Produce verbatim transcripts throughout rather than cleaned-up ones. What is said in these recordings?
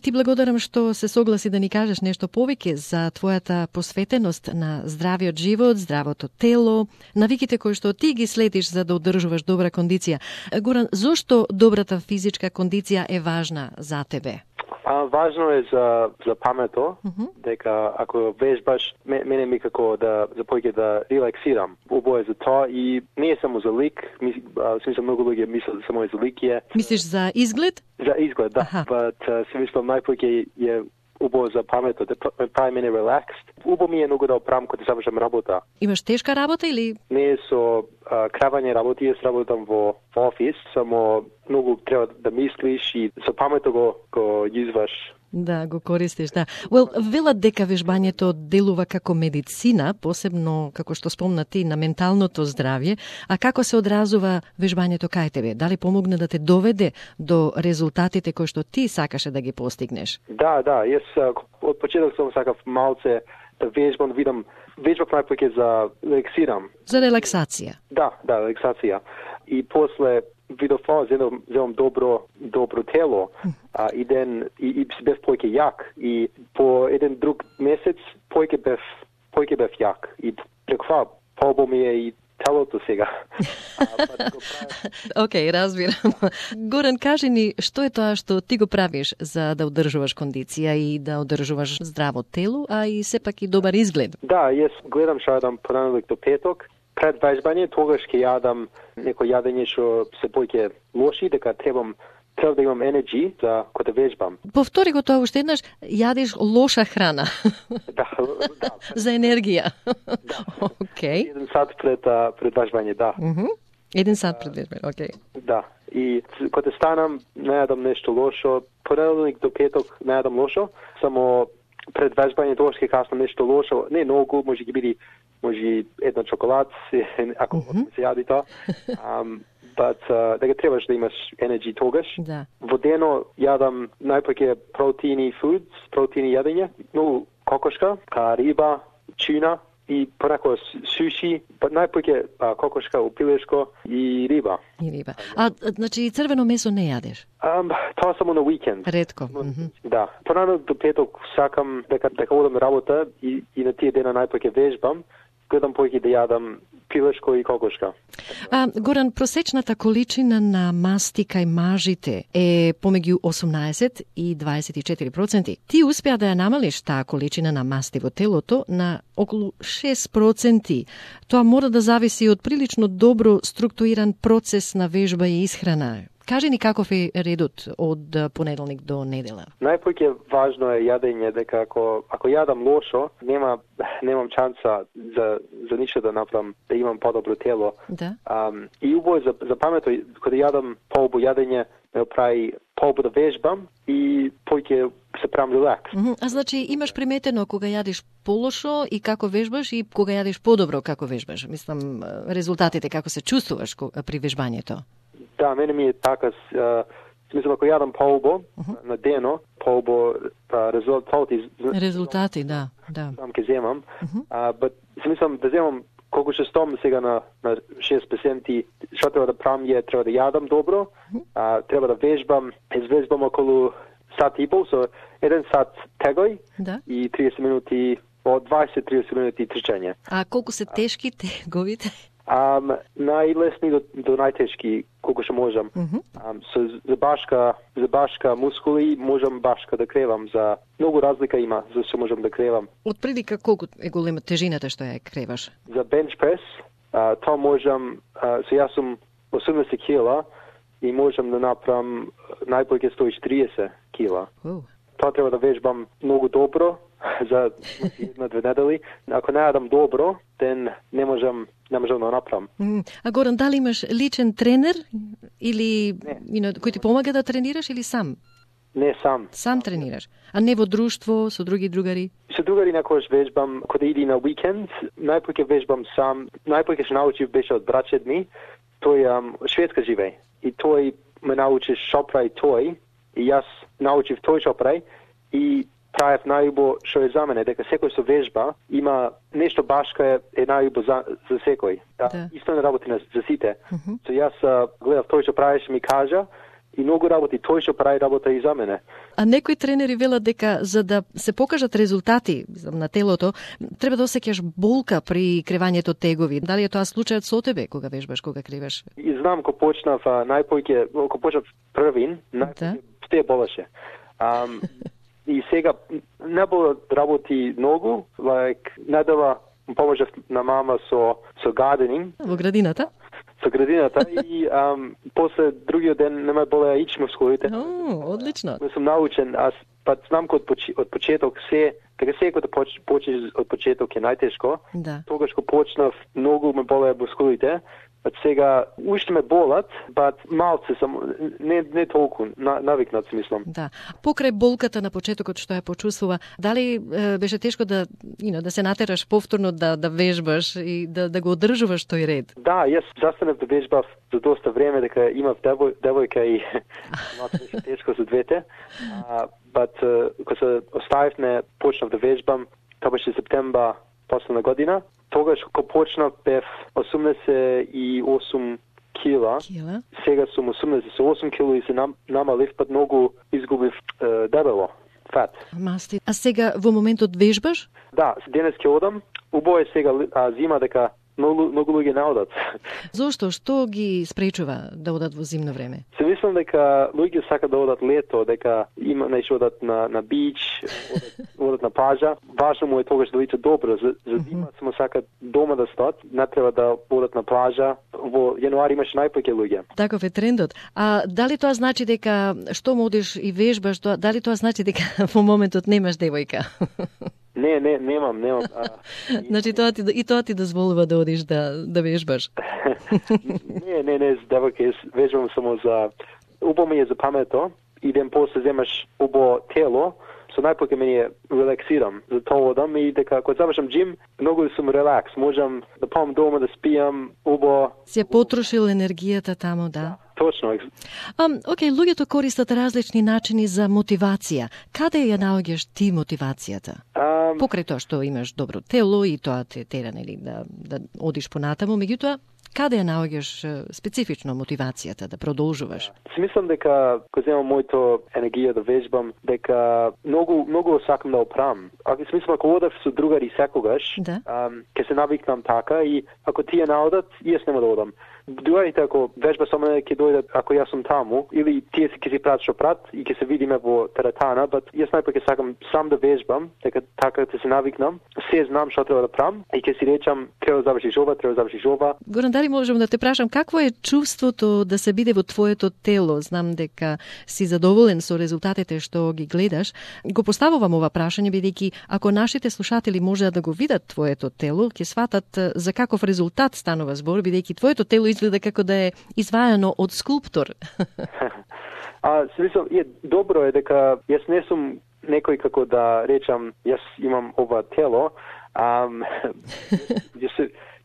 Ти благодарам што се согласи да ни кажеш нешто повеќе за твојата посветеност на здравиот живот, здравото тело, навиките кои што ти ги следиш за да одржуваш добра кондиција. Горан, зошто добрата физичка кондиција е важна за тебе? А, важно е за, за памето, Uh-huh. дека ако вежбаш, мене ми како да запојке да релаксирам. Убаво е за тоа и не е само за лик, ми, а, смислам многу луѓе мислат да само е за лик е. Мислиш за изглед? За изглед, да. Аха. But си мислам најпојке е убаво за памето, да прави мене релакс. Убаво ми е многу да оправам кога завршам работа. Имаш тешка работа или? Не е со а, кравање работи, јас работам во, во офис, само многу треба да мислиш и со памето го, го јузваш. Да, го користиш, да. Well, велат дека вежбањето делува како медицина, посебно, како што спомна ти, на менталното здравје, а како се одразува вежбањето кај тебе? Дали помогна да те доведе до резултатите кои што ти сакаше да ги постигнеш? Да, да, јас а, од почеток сум сакав малце да вежбам, видам, вежбав најпоќе за релаксирам. За релаксација. Да, да, релаксација. И после видов ова, земам, земам добро, добро тело, а, и ден, и, и бев појке јак. И по еден друг месец појке бев, појке бев јак. И преку това, побо ми е и телото сега. Океј, okay, разбирам. Горан, кажи ни, што е тоа што ти го правиш за да одржуваш кондиција и да одржуваш здраво тело, а и сепак и добар изглед? Да, јас гледам што јадам понеделник до петок. Пред вежбање тогаш ќе јадам некој јадење што се појќе лоши, дека требам треба да имам енерджи за кога да вежбам. Повтори го тоа уште еднаш, јадеш лоша храна. Да, да. За енергија. Да. Океј. Okay. Еден сат пред пред вежбање, да. Мхм. Uh-huh. Еден сат пред вежбање, океј. Okay. Да. И кога станам, не јадам нешто лошо. Понеделник до петок не јадам лошо, само пред вежбање тогаш ќе каснам нешто лошо. Не многу, може ќе биде може една чоколад, ако uh-huh. се јади тоа. Um, but uh, дека требаш да имаш енерджи тогаш. Да. Во дено јадам најпоќе протеини foods, протеини јадење, многу кокошка, ка риба, чуна и понекогаш суши, па најпоќе кокошка, упилешко и риба. И риба. А, значи црвено месо не јадеш? Um, тоа само на уикенд. Ретко. Mm-hmm. Да. Понадолу до петок сакам дека дека одам на работа и, и на тие дена најпоќе вежбам, гледам појќе да јадам пилешко и кокошка. А, Горан, просечната количина на масти кај мажите е помеѓу осумнаесет и дваесет и четири проценти. Ти успеа да ја намалиш таа количина на масти во телото на околу шест проценти. Тоа мора да зависи од прилично добро структуриран процес на вежба и исхрана. Кажи ни каков е редот од понеделник до недела? Најпоќе важно е јадење, дека ако ако јадам лошо, нема немам шанса за за ништо да направам, да имам подобро тело. Да. Um, и убаво за за памето кога јадам поубаво јадење, ме прави поубаво да вежбам и поќе се правам релакс. Mm-hmm. А значи имаш приметено кога јадеш полошо и како вежбаш и кога јадеш подобро како вежбаш? Мислам резултатите како се чувствуваш при вежбањето? Да, мене ми е така, смислам, ако јадам поубаво uh-huh. на дено, поубаво резултати... Резултати, да, да. Сам ке земам, uh-huh. uh, but смислам да земам колку ще стом сега на, на шест проценти, што треба да правам е, треба да јадам добро, uh-huh. uh, треба да вежбам, извежбам околу сат и пол, со еден сат тегај да. И триесет минути, од дваесет до триесет минути трчање. А колку се тешки теговите? Um, најлесни до, до најтешки, колку што можам. Uh-huh. Um, so, за башка, за башка мускули можам башка да кревам. За многу разлика има за што можам да кревам. Од прилика колку е голема тежината што ја креваш? За бенч прес, uh, тоа можам, uh, so јас сум осумдесет кила и можам да направам најпојќе сто и четириесет кила. Uh. Тоа треба да вежбам многу добро за една-две недели. Ако не јадам добро, ден не можам не можам да направам. Mm. А Горан, дали имаш личен тренер или you know, кој ти помага да тренираш или сам? Не, сам. Сам тренираш? А не во друштво, со други другари? Со другари некојаш вежбам, кога иди на уикенд, најпојќе вежбам сам. Најпојќе што научив беше од браќет ми, тој ам, Шведска живее. И тој ме научи шо прави тој, и јас научив тој шо прави, и правев најубо што е за мене, дека секој со вежба има нешто башка е, е најубо за, за секој. Да. Да. Исто не работи на, за сите. Uh-huh. So јас гледав тој што правеше ми кажа и многу работи, тој што прави работа и за мене. А некои тренери велат дека за да се покажат резултати на телото, треба да осеќаш болка при кревањето тегови. Дали е тоа случајот со тебе кога вежбаш, кога криваш? И знам кога почнав најпојќе, кога почнав првин, најпојќе те болеше. Um, и сега не било работи многу, like недела поможав на мама со со gardening во градината. Со градината и um, после другиот ден не ме болеа ич мускулите. О, одлично. Не сум научен, аз па знам кога од почеток се, дека се кога почнеш од почеток е најтешко. Да. Тогаш кога почнав многу ме болеа мускулите. Од сега уште ме болат, бат малце сам не не толку на, навикнат мислам. Да. Покрај болката на почетокот што ја почувствува, дали е, беше тешко да, you know, да се натераш повторно да да вежбаш и да да го одржуваш тој ред? Да, јас застанав да вежбав за доста време, дека имав девој, девојка и малку беше тешко за двете. А, бат кога се оставивме, почнав да вежбам, тоа беше септембар последна година. Тогаш кога почнав бев осумдесет и осум кила. Кила. Сега сум осумдесет и осум кила и се нам, намалив, пат многу изгубив е, дебело, фат. Масти. А сега во моментот вежбаш? Да, денес ќе одам. Убаво е сега а, зима дека многу многу луѓе не одат. Зошто? Што ги спречува да одат во зимно време? Се мислам дека луѓе сакаат да одат лето, дека има нешто одат на на бич, одат, одат на плажа. Важно му е тогаш да лице добро. За, за зима само сакаат дома да стоат, не треба да одат на плажа. Во јануари имаше најпоќе луѓе. Таков е трендот. А дали тоа значи дека што одиш и вежбаш, тоа, дали тоа значи дека во моментот немаш девојка? Не, не, немам, немам. А, значи тоа ти и тоа ти дозволува да одиш да да вежбаш. не, не, не, девојка, јас вежбам само за убаво ми е за памето, и ден после земаш убаво тело, со најпоќе мене релаксирам. За тоа одам и дека кога завршам джим, многу сум релакс, можам да пам дома да спијам, убаво. Се потрошил енергијата таму, да. Точно. Um, окей, луѓето користат различни начини за мотивација. Каде ја наоѓаш ти мотивацијата? Um, Покрај тоа што имаш добро тело и тоа те тера, нели, да, да одиш понатаму, меѓутоа, каде ја наоѓаш специфично мотивацијата да продолжуваш? Си мислам дека кога земам моето енергија да вежбам, дека многу многу сакам да оправам. Ако си мислам ако одам со другари секогаш, да. um, ќе се навикнам така и ако тие не одат, јас нема да одам. Дуарите ако вежба со мене ќе дојдат ако јас сум таму, или тие ќе си прават што прават и ќе се видиме во теретана, бат јас најпоќе сакам сам да вежбам, дека така ќе се навикнам, се знам што треба да правам и ќе си речам треба да завршиш ова, треба да завршиш ова. Горан, дали можам да те прашам какво е чувството да се биде во твоето тело? Знам дека си задоволен со резултатите што ги гледаш. Го поставувам ова прашање бидејќи ако нашите слушатели можеат да го видат твоето тело, ќе сватат за каков резултат станува збор, бидејќи твоето тело изгледа како да е извајано од скулптор. А, се мислам, е добро е дека јас не сум некој како да речам јас имам ова тело. Ам, јас,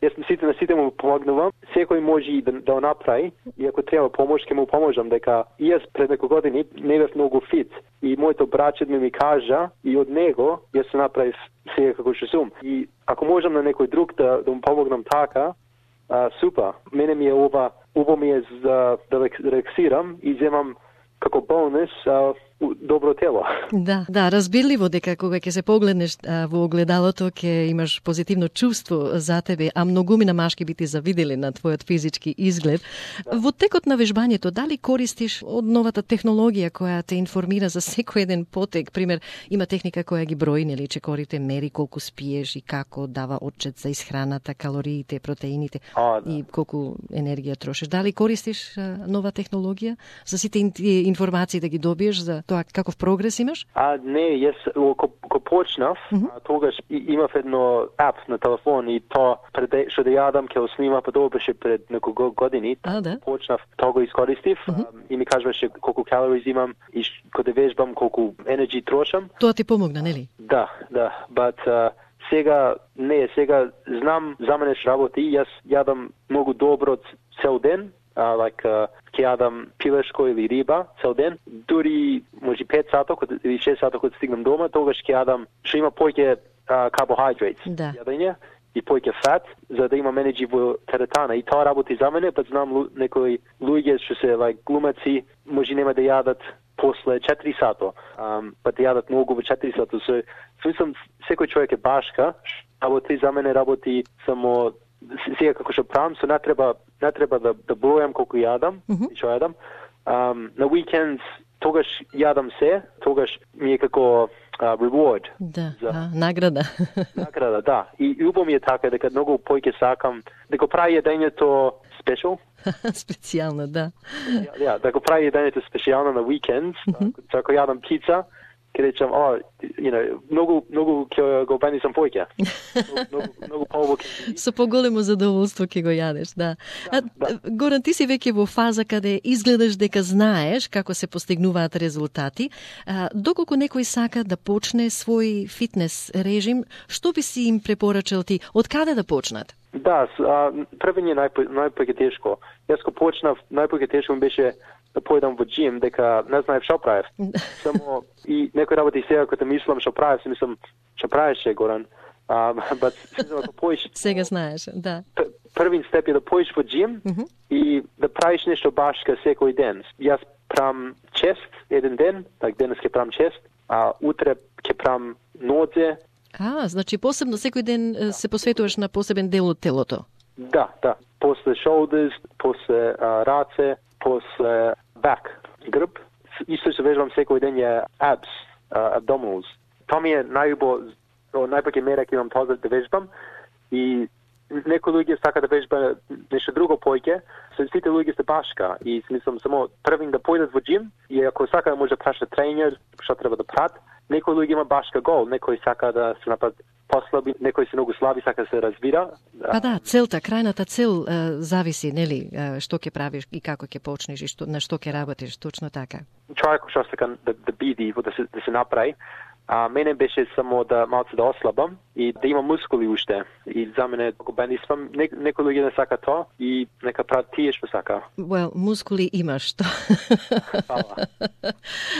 јас сите на сите му помогнувам. Секој може и да, да направи и ако треба помош, ќе му поможам дека јас пред неколку години не бев многу фит и моето браче ми ми кажа и од него јас се направив сега како што сум. И ако можам на некој друг да, да му помогнам така, а, супер. Мене ми е ова, убаво ми е за да релаксирам и земам како бонус а, добро тело. Да, да, разбирливо дека кога ќе се погледнеш а, во огледалото ќе имаш позитивно чувство за тебе, а многумина машки би ти завидели на твојот физички изглед. Да. Во текот на вежбањето, дали користиш од новата технологија која те информира за секој еден потек? Пример, има техника која ги брои, нели, чекорите, мери колку спиеш и како дава отчет за исхраната, калориите, протеините а, да. и колку енергија трошиш. Дали користиш а, нова технологија за сите информации да ги добиеш за тоа каков прогрес имаш? А не, јас кога почнав, mm -hmm. тогаш имав едно ап на телефон и тоа пред што да јадам ќе го снима, па тоа беше пред неколку години. А, да? Почнав, тоа го искористив mm -hmm. и ми кажуваше колку калории имам и кога вежбам колку енерги трошам. Тоа ти помогна, нели? Да, да, but uh, сега не, сега знам за мене што работи, јас јадам многу добро цел ден. Uh, like, uh, ќе јадам пилешко или риба цел ден, дури може пет сата или шест сата кога стигнам дома, тогаш ќе јадам што има поќе uh, carbohydrates да. јадење и појќе фат, за да имам енерджи во теретана. И тоа работи за мене, па знам лу, некои луѓе што се like, глумаци, може нема да јадат после четири сата, um, па да јадат многу во четири сата. So, смислам, секој човек е башка, работи за мене работи само сега како што правам, so не треба, не треба да, да бројам колку јадам, mm-hmm. и што јадам. Um, на уикендс тогаш јадам се, тогаш ми е како uh, reward. Да, за... а, награда. Награда, да. И убаво ми е така, дека многу појќе сакам, дека прави јадењето special. Специјално, да. Ja, ja, да го прави јадењето специјално на уикендс, mm-hmm. ако јадам пица, ќе речам, о, you know, многу, многу ќе го бенисам појќе. Многу, многу повоќе. Со поголемо задоволство ќе го јадеш, да. Да, а, да. Горан, ти си веќе во фаза каде изгледаш дека знаеш како се постигнуваат резултати. А, доколку некој сака да почне свој фитнес режим, што би си им препорачал ти? Од каде да почнат? Да, првен е најпоќе тешко. Јас го почнав, најпоќе тешко ми беше да појдам во джим, дека не знаев што правев. Само и некој работи сега кога мислам што правев, си мислам што правеше Горан. Um, but ако поиш сега знаеш, да. Првин степ е да поиш во джим mm-hmm. и да правиш нешто башка секој ден. Јас правам чест еден ден, так денес ќе правам чест, а утре ќе правам нозе. А, значи посебно секој ден да. Се посветуваш на посебен дел од телото. Да, да. После shoulders, после uh, раце, после back, грб. Исто се вежбам секој ден е abs, uh, abdominals. Тоа ми е најубаво, најпак е мера ќе имам тоа да вежбам и некои луѓе сака да вежба нешто друго појќе, се сите луѓе се башка и смислам само првин да појдат во джим и ако сака да може да праша тренер, што треба да прат, некои луѓе има башка гол, некој сака да се напад послаби, некој се многу слаби, сака да се развира. Па да, целта, крајната цел е, зависи, нели, е, што ќе правиш и како ќе почнеш и што, на што ќе работиш, точно така. Човек што сака да, да биди, да се, да се направи, а мене беше само да малце да ослабам и да имам мускули уште. И за мене го бенисвам, не, некој луѓе не сака тоа и нека прават тие што сака. Well, мускули имаш тоа.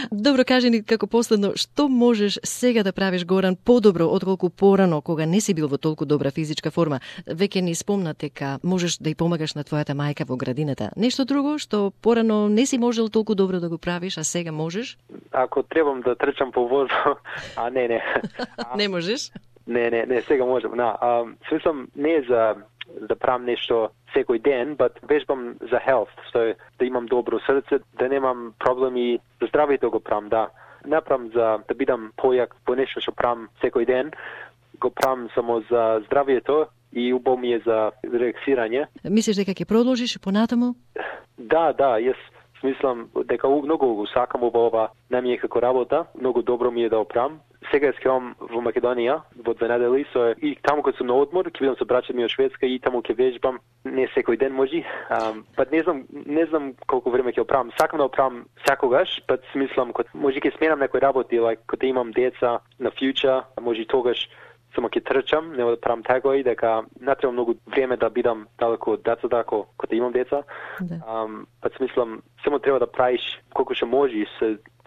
Добро, кажи ни како последно, што можеш сега да правиш, Горан, подобро отколку порано, кога не си бил во толку добра физичка форма? Веќе ни спомна дека можеш да ја помагаш на твојата мајка во градината. Нешто друго што порано не си можел толку добро да го правиш, а сега можеш? Ако требам да трчам по воздух, а не, не. А, не можеш? Не, не, не, сега можам. На, а, смислам не е за да правам нешто секој ден, but вежбам за health, so, да имам добро срце, да немам проблеми за здравјето го правам, да. Не правам за да бидам појак по нешто што правам секој ден, го правам само за здравјето и убаво ми е за релаксирање. Мислиш дека ќе продолжиш понатаму? Да, да, јас смислам дека многу го сакам ова, не ми е како работа, многу добро ми е да оправам. Сега скевам во Македонија во две недели, so, и таму кога сум на одмор, ќе бидам со браќата ми од Шведска и таму ќе вежбам, не секој ден може. Um, па не знам, не знам колку време ќе оправам. Сакам да оправам секогаш, па смислам кога може ќе сменам некои работи, like кога имам деца на future, може тогаш само ќе трчам, нема да правам тегои, дека не треба многу време да бидам далеку од децата ако кога имам деца. Да. Um, па смислам само треба да правиш колку што можеш.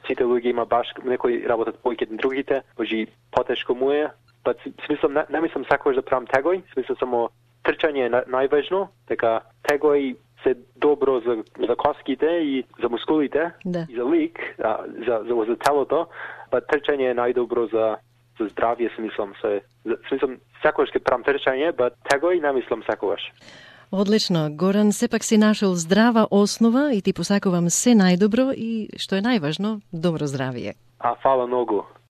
Сите луѓе има баш некои работат појќе од другите, може потешко му е, па смислам не, не мислам сакаш да правам тегои, смислам само трчање е најважно, дека тегои се добро за за коските и за мускулите, да. И за лик, а, за за за телото, па трчање е најдобро за за здравје, смислам се. Смислам сакаш ќе правам трчање, па тегои не мислам сакаш. Одлично. Горан, сепак си нашол здрава основа и ти посакувам се најдобро и, што е најважно, добро здравје. А, фала многу.